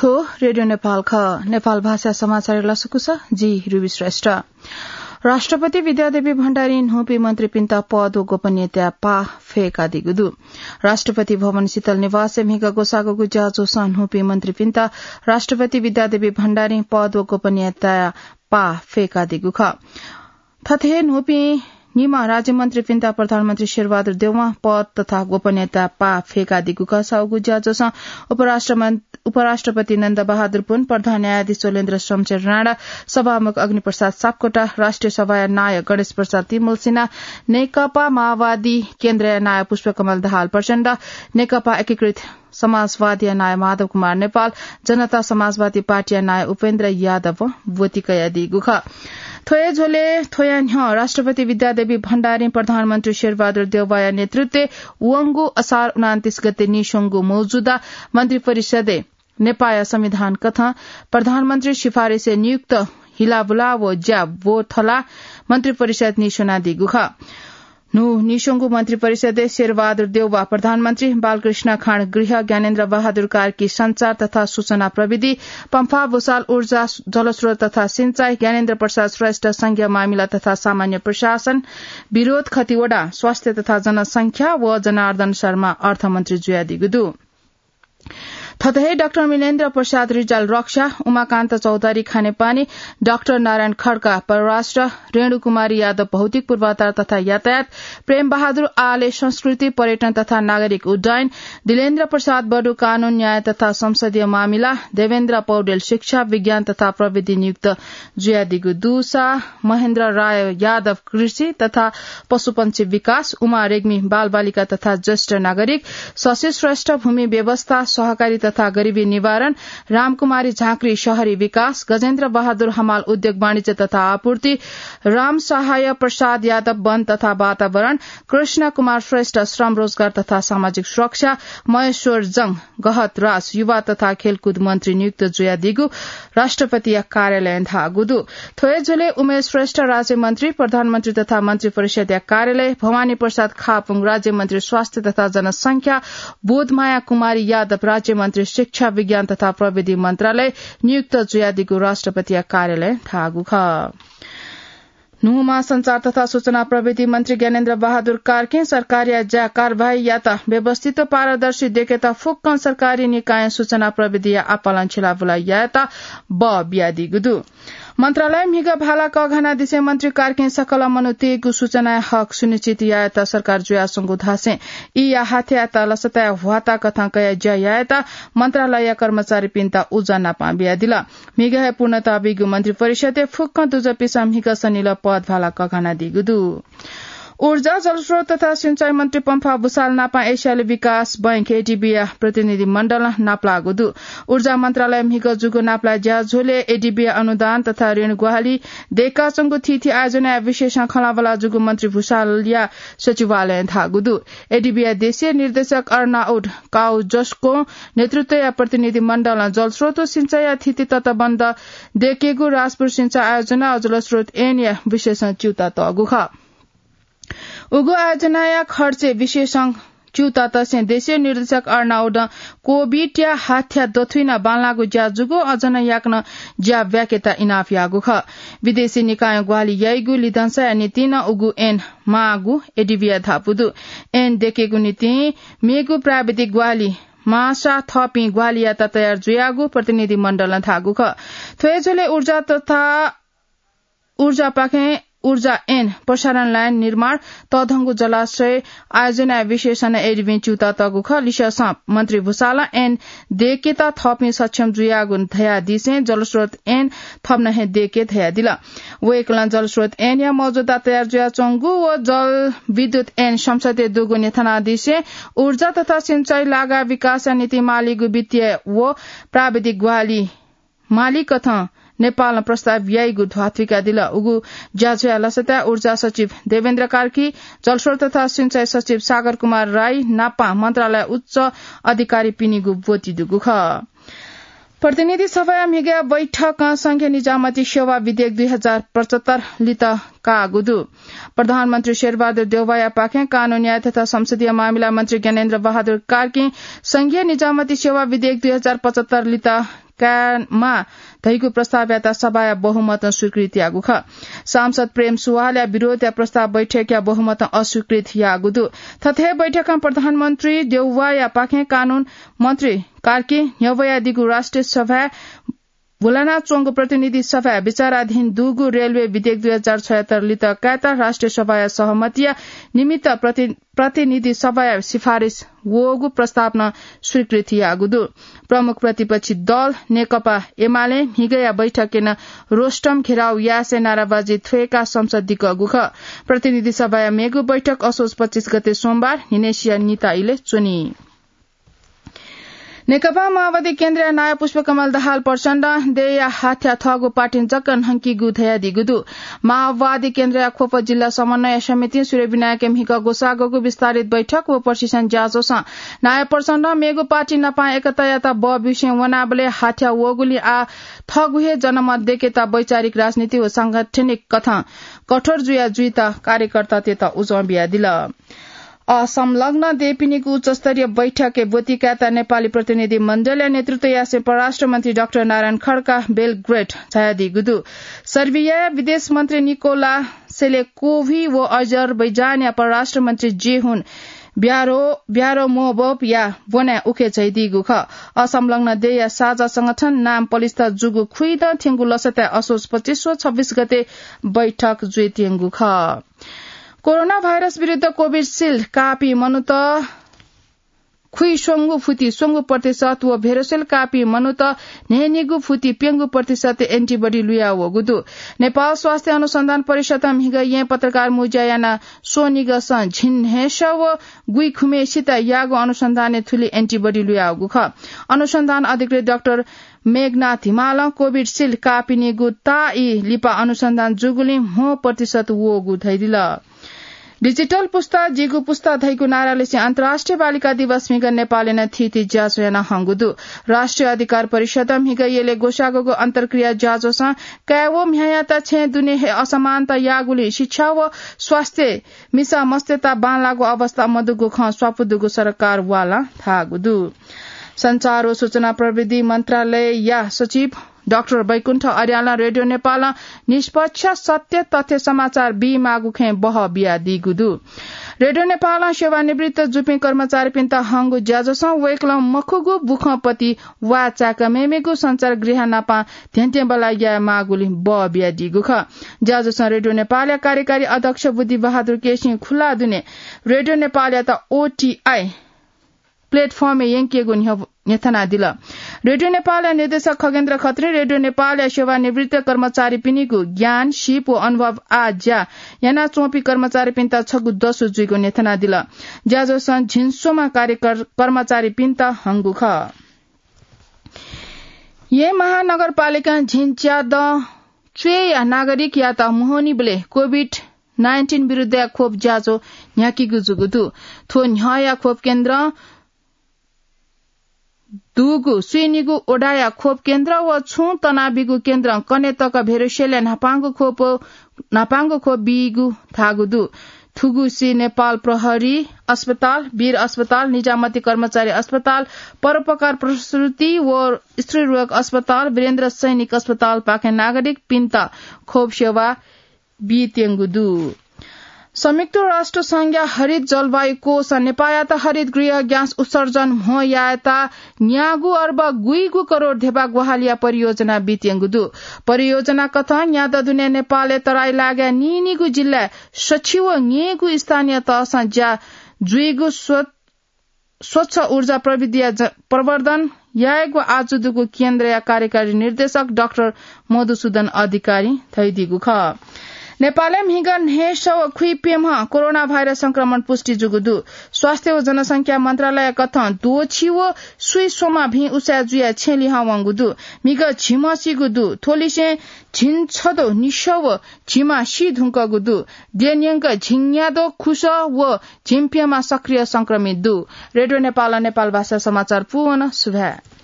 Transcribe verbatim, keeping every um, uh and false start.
थ्व रेडियो नेपाल खः। नेपाल भाषा समाचार लसकुस, जि रुबी श्रेष्ठ। राष्ट्रपति विद्यादेवी भण्डारीं न्हूपिं मन्त्रीपिन्त पद व गोपनीयताया पाः फय्कादीगु दु। राष्ट्रपति भवन शीतल निवासय् म्हिगः ग्वसाःगु ज्याझ्वलय् न्हूपिं मन्त्रीपिन्त राष्ट्रपति विद्यादेवी भण्डारीं पद व गोपनीयताया पाः फय्कादीगु खः। थथे हे न्हूपिं निम्ह राज्यमन्त्रीपिन्त प्रधानमन्त्री शेरबहादुर देउवां पद तथा गोपनीयता पाः फय्कादीगु खः। साउगु ज्याझ्वलय् उपराष्ट्रमन-, उपराष्ट्रपति नन्द बहादुर पुन, प्रधान न्यायाधीश चोलेन्द्र शमशेर राणा, सभामुख अग्निप्रसाद सापकोटा, राष्ट्रिय सभाया नायः गणेश प्रसाद तिमल्सिना, नेकपा माओवादी केन्द्रया नायः पुष्पकमल दाहाल प्रचण्ड, नेकपा एकीकृत समाजवादीया नायः माधव कुमार नेपाल, जनता समाजवादी पार्टीया नायः उपेन्द्र यादवं ब्वति कयादीगु खः। थ्व हे झ्वलय् थ्वया न्ह्यः राष्ट्रपति विद्यादेवी भण्डारीं प्रधानमन्त्री शेरबहादुर देउवाया नेतृत्वय् वंगु असार उनान्तीस गते नीस्वंगु मौजुदा मन्त्रिपरिषदय् नेपाःया संविधान कथं प्रधानमन्त्री सिफारिसय् नियुक्त हिलाबुला व ज्या ब्वथला मन्त्रिपरिषद नीस्वनादीगु खः। न्हू नीस्वंगु मन्त्रिपरिषदय् शेरबहादुर देउवा प्रधानमन्त्री, बालकृष्ण खाँड गृह, ज्ञानेन्द्र बहादुर कार्की सञ्चार तथा सूचना प्रविधि, पम्फा भुसाल ऊर्जा, जलस्रोत तथा सिंचाई, ज्ञानेन्द्र प्रसाद श्रेष्ठ संघीय मामिला तथा सामान्य प्रशासन, विरोध खतिवडा, स्वास्थ्य तथा जनसंख्या व जनार्दन शर्मा अर्थमन्त्री जुयादीगु दु। थथे हे डाक्टर मिलेन्द्र प्रसाद रिजाल रक्षा, उमाकान्त चौधरी खानेपानी, डाक्टर नारायण खड्का परराष्ट्र, रेणु कुमारी यादव भौतिक पूर्वाधार तथा यातायात, प्रेम बहादुर आले संस्कृति, पर्यटन तथा नागरिक उड्डयन, दिलेन्द्र प्रसाद बडु कानून, न्याय तथा संसदीय मामिला, देवेन्द्र पौडेल शिक्षा, विज्ञान तथा प्रविधि नियुक्त जुयादीगु दुसा, महेन्द्र राय यादव कृषि तथा पशुपन्छी विकास, उमा रेग्मी बालबालिका तथा ज्येष्ठ नागरिक, शशि श्रेष्ठ भूमि व्यवस्था, सहकारी तथा गरिबी निवारण, रामकुमारी झाँक्री शहरी विकास, गजेन्द्र बहादुर हमाल उद्योग वाणिज्य तथा आपूर्ति, राम सहाय प्रसाद यादव वन तथा वातावरण, कृष्ण कुमार श्रेष्ठ श्रम रोजगार तथा सामाजिक सुरक्षा, महेश्वर जंग गहतराज युवा तथा खेलकुद मन्त्री नियुक्त जुयादीगु राष्ट्रपतिया कार्यालयं धाःगु दु। थ्व हे झ्वलय् उमेश श्रेष्ठ राज्यमन्त्री, प्रधानमन्त्री तथा मन्त्रिपरिषदया कार्यालय, भवानी प्रसाद खापुङ राज्यमन्त्री स्वास्थ्य तथा जनसंख्या, बोधमाया कुमारी यादव राज्यमन्त्री शिक्षा, विज्ञान तथा प्रविधि मन्त्रालय नियुक्त जुयादीगु राष्ट्रपतिया कार्यालयं धाःगु खः। न्हूम्ह सञ्चार तथा सूचना प्रविधि मन्त्री ज्ञानेन्द्र बहादुर कार्कीं सरकारया ज्या कारवाहीयात व्यवस्थित व पारदर्शी देकेत फुक्कं सरकारी निकायं सूचना प्रविधिया आपालं छिलाबुला यायेत बः बियादीगु दु। मन्त्रालय म्हिगः भाला कःघानादिसें मन्त्री कार्कीं सकल मनूतय्गु सूचनाया हक सुनिश्चित यायेत सरकार जुयाच्वंगु धासें ईया हाथ्यायात लसताया ह्वाता कथं कयाः ज्या यायेत मन्त्रालयया कर्मचारीपिन्त उजं नापं बियादिल। म्हिगः हे पूर्णता बीगु मन्त्रिपरिषदय् फुक्कं दुजःपिसं म्हिगः सनिलः पद भाला कःघानादीगु दु। ऊर्जा, जलस्रोत तथा सिंचाई मन्त्री पम्फा भुसाल नापं एसियाली विकास बैंक, एडीबीया प्रतिनिधि मण्डलं नापलाःगु दु। ऊर्जा मन्त्रालय म्हिगः जूगु नापलाये ज्याझ्वलय् एडीबीया अनुदान तथा ऋण ग्वाहालि दय्काच्वंगु थीथी आयोजनाया विशेषं खँल्हाबल्हा जूगु मन्त्री भुसालया सचिवालयं धाःगु दु। एडीबीया देशीय निर्देशक अर्नाउड काउजस्कों नेतृत्वया प्रतिनिधि मण्डलं जलस्रोत व सिंचाईया थीथी तटबन्ध दय्केगु राजपुर सिंचाई आयोजना व जलस्रोत ऐनया विशेषं च्यूताः तःगु खः। उगु आयोजनाया खर्चय् विशेषं च्यूताः तसें देशीय निर्देशक अर्नाउडं कोभिडया हाथ्या दथुइ नं बांलाःगु ज्या जूगु अझ नं याकनं ज्या ब्याकेत इनाप याःगु खः। विदेशी निकायं ग्वाहालि याइगु लिधंसाया निंतिं नं उगु ऐन माःगु एडीबीया धापू दु। ऐन दय्केगु निंतिं मेगु प्राविधिक ग्वाहालि माःसा थःपिं ग्वाहालियात तयार जुयागु प्रतिनिधि मण्डलं धाःगु खः। थ्व हे झ्वलय् ऊर्जा तथा ऊर्जापाखें ऊर्जा ऐन, प्रसारण लाइन निर्माण, तःधंगु जलाशय आयोजनाया विशेषं एडीबीं च्यूताः तःगु खः। लिसेंसं मन्त्री भुसालं ऐन दय्केत थःपिं सक्षम जुयागु धयादिसें जलस्रोत ऐन थप नं हे दय्के धयादिल। वय्कलं जलस्रोत ऐनया मौजुदा तयार जुयाच्वंगु व जलविद्युत ऐन संसदय् दुगु न्ह्यथनादिसें ऊर्जा तथा सिंचाई लागाय् विकासया निंतिं मालीगु वित्तीय व प्राविधिक ग्वाहालि माली कथं नेपालं प्रस्ताव याइगु ध्वाथुइकादिल। उगु ज्याझ्वःया लसताय् ऊर्जा सचिव देवेन्द्र कार्की, जलस्रोत तथा सिंचाई सचिव सागर कुमार राई नापं मन्त्रालयया उच्च अधिकारीपिनिगु ब्वति दुगु खः। प्रतिनिधि सभाया म्हिगः बैठकं संघीय निजामती सेवा विधेयक दुई हजार पचहत्तर लित काःगु दु। प्रधानमन्त्री शेरबहादुर देउवायापाखें कानून न्याय तथा संसदीय मामिला मन्त्री ज्ञानेन्द्र बहादुर कार्कीं संघीय निजामती सेवा विधेयक दुई हजार पचहत्तर लित कायेमा धइगु प्रस्तावयात सभाया बहुमतं स्वीकृत याःगु खः। सांसद प्रेम सुवालया विरोधया प्रस्ताव बैठकया बहुमतं अस्वीकृत याःगु दु। थथे बैठकं प्रधानमन्त्री देउवाया पाखें कानून मन्त्री कार्की न्ह्यब्वयादीगु राष्ट्रिय सभाय् भुलाना च्वंगु प्रतिनिधि सभाय् विचाराधीन दुगु रेलवे विधेयक दुई हजार छयत्तर लित कायेत राष्ट्रिय सभाया सहमतिया निमित्त प्रति-, प्रतिनिधि सभाया सिफारिस वःगु प्रस्ताव नं स्वीकृत याःगु दु। प्रमुख प्रतिपक्षी दल नेकपा एमाले म्हिगया बैठकय् नं रोस्ट्रम घेराउ यासें नाराबाजी थ्वय्काः संसद दिकःगु खः। प्रतिनिधि सभाया मेगु बैठक असोज पच्चिस गते सोमबार न्हिनेसिया निता इलय् च्वनी। नेकपा माओवादी केन्द्रया नायः पुष्पकमल दाहाल प्रचण्डं देय्‌या हाथ्या थःगु पार्टीं जक न्हंकीगु धयादीगु दु। माओवादी केन्द्रया ख्वप जिल्ला समन्वय समितिं सूर्यविनायकय् म्हिगः ग्वसाःगु विस्तारित बैठक व प्रशिक्षण ज्याझ्वलय् नायः प्रचण्डं मेगु पार्टी नाप एकतायात बः बिसें वनाबलय् हाथ्या वःगुलिं आः थःगु हे जनमत दय्केत वैचारिक, राजनीतिक व सांगठनिक कथं कठोर जुया जुइत कार्यकर्तातय्त उजं बियादिल। असंलग्न देय्‌पिनिगु उच्चस्तरीय बैठकय् ब्वति कायेत नेपाली प्रतिनिधि मण्डलया नेतृत्व यासें परराष्ट्र मन्त्री डाक्टर नारायण खड्का बेलग्रेड झायादीगु दु। सर्बियाया विदेश मन्त्री निकोला सेलेकोभी व अजरबैजानया परराष्ट्र मन्त्री जेहुन ब्यारो-, ब्यारोमोबोभया ब्वनाय् उखे झाइदीगु खः। असंलग्न देय्‌या साझा संगठन नाम पलिस्था जूगु खुइदँ थ्यंगु लसताय् असोज पच्चिस व छब्बिस गते बैठक जुइत्यंगु खः। कोरोना भाइरस विरुद्ध कोभिसिल्ड काःपिं मनूत खुइस्वंगू फुति स्वंगू प्रतिशत व भेरोसेल्ड काःपिं मनूत न्हय्‌निगू फुति प्यंगू प्रतिशत एन्टिबडी लुया वःगु दु। नेपाल स्वास्थ्य अनुसन्धान परिषदं म्हिगः येँ पत्रकार मुँज्या याना स्वनिगसं झिंन्हय्‌सः व गुइखुम्हेसित याःगु अनुसन्धानय् थुलि एन्टिबडी लुयावःगु खः। अनुसन्धान अधिकृत डाक्टर मेघनाथ हिमालं कोभिसिल्ड काःपिनिगु ताःई लिपा अनुसन्धान जूगुलिं म्हो प्रतिशत वःगु धयादिल। डिजिटल पुस्ता जिगु पुस्ता धइगु नारालिसें अन्तर्राष्ट्रिय बालिका दिवस म्हिगः नेपालय् नं थीथी ज्याझ्वः याना हंगु दु। राष्ट्रिय अधिकार परिषदं म्हिगः यलय् ग्वसाःगु अन्तर्क्रिया ज्याझ्वलं काय् व म्ह्याय्‌यात छेँय् दुने हे असमानता याःगुलिं शिक्षा व स्वास्थ्य मिसा मस्तय्‌त बांलाःगु अवस्था मदुगु खँ स्वापू दुगु सरकार वालं धाःगु दु। सञ्चार व सूचना प्रविधि मन्त्रालयया सचिव डाक्टर बैकुण्ठ अर्यालं रेडियो नेपालं निष्पक्ष सत्य तथ्य समाचार बीमाःगु खँय् बहः बियादीगु दु। रेडियो नेपालं सेवानिवृत्त जूपिं कर्मचारीपिन्त हंगु ज्याझ्वलं वय्‌कलं मखुगु बुखँपति वाःचाय्‌क मेमेगु सञ्चार गृह नाप धेंधेंबल्लाः यायेमाःगुलिं बहः बियादीगु खः। ज्याझ्वलं रेडियो नेपालया कार्यकारी अध्यक्ष बुद्धिबहादुर केसीं खुल्ला दुने रेडियो नेपालयात ओटीआई प्लेटफर्मय् यंकेगु न्ह्य-, न्ह्यथनादिल। रेडियो नेपालया निर्देशक खगेन्द्र खत्रीं रेडियो नेपालया सेवानिवृत्त कर्मचारीपिनिगु ज्ञान, सिप व अनुभव आः ज्या यानाच्वंपिं कर्मचारीपिन्त छगू दसु जुइगु न्ह्यथनादिल। ज्याझ्वलं झिंस्वम्ह कार्यकर-, कर्मचारीपिन्त हंगु खः। येँ महानगरपालिकां झिंच्यादँ च्वय्‌या नागरिकयात म्होनीबलय् कोभिड नाइन्टिन विरुद्धया खोप ज्याझ्वः न्ह्याकीगु जूगु दु। थ्व न्ह्यःया खोप केन्द्रं दुगु स्वीनिगु वडाया खोप केन्द्र व छुं तनाबिगु केन्द्रं कन्हय् तक भेरोसेलया न्हापांगु खोप, न्हापांगु खोप बीगु धाःगु दु। थुगुसी नेपाल प्रहरी अस्पताल, वीर अस्पताल, निजामती कर्मचारी अस्पताल, परोपकार प्रसूति व स्त्रीरोग अस्पताल, वीरेन्द्र सैनिक अस्पतालपाखें नागरिकपिन्त खोप सेवा बीत्यंगु दु। संयुक्त राष्ट्र संघया हरित जलवायु कोषं नेपाःयात हरित गृह ग्यास उत्सर्जन म्हो यायेत न्यागू अर्ब गुइगू करोड धेबा ग्वाहालिया परियोजना बीत्यंगु दु। परियोजना कथं न्यादँ दुने नेपालय् तराई लागाय् नीनिगू जिल्लाय् सछि व न्यय्‌गू स्थानीय तहसं ज्या जुइगु स्व-, स्वच्छ ऊर्जा प्रविधिया ज-, प्रवर्धन यायेगु आजु दुगु केन्द्रया कार्यकारी निर्देशक डाक्टर मधुसूदन अधिकारीं धयादीगु खः। नेपालय् म्हिगः न्हय्‌सः व खुइप्यम्ह कोरोना भाइरस संक्रमण पुष्टि जूगु दु। स्वास्थ्य व जनसंख्या मन्त्रालय कथं द्वःछि व स्वीस्वम्ह भिं उसाँय् जुयाः छेँ लिहां वंगु दु। म्हिगः झिम्ह सीगु दु। थ्वलिसें झिंछदँ निसः व झिम्ह सी धुंकूगु दु। द्यः न्यंक झिंन्यादँ खुसः व झिंप्यम्ह सक्रिय संक्रमित दु। रेडियो नेपालं नेपाल भाषा समाचार पूवन। सुभाय्।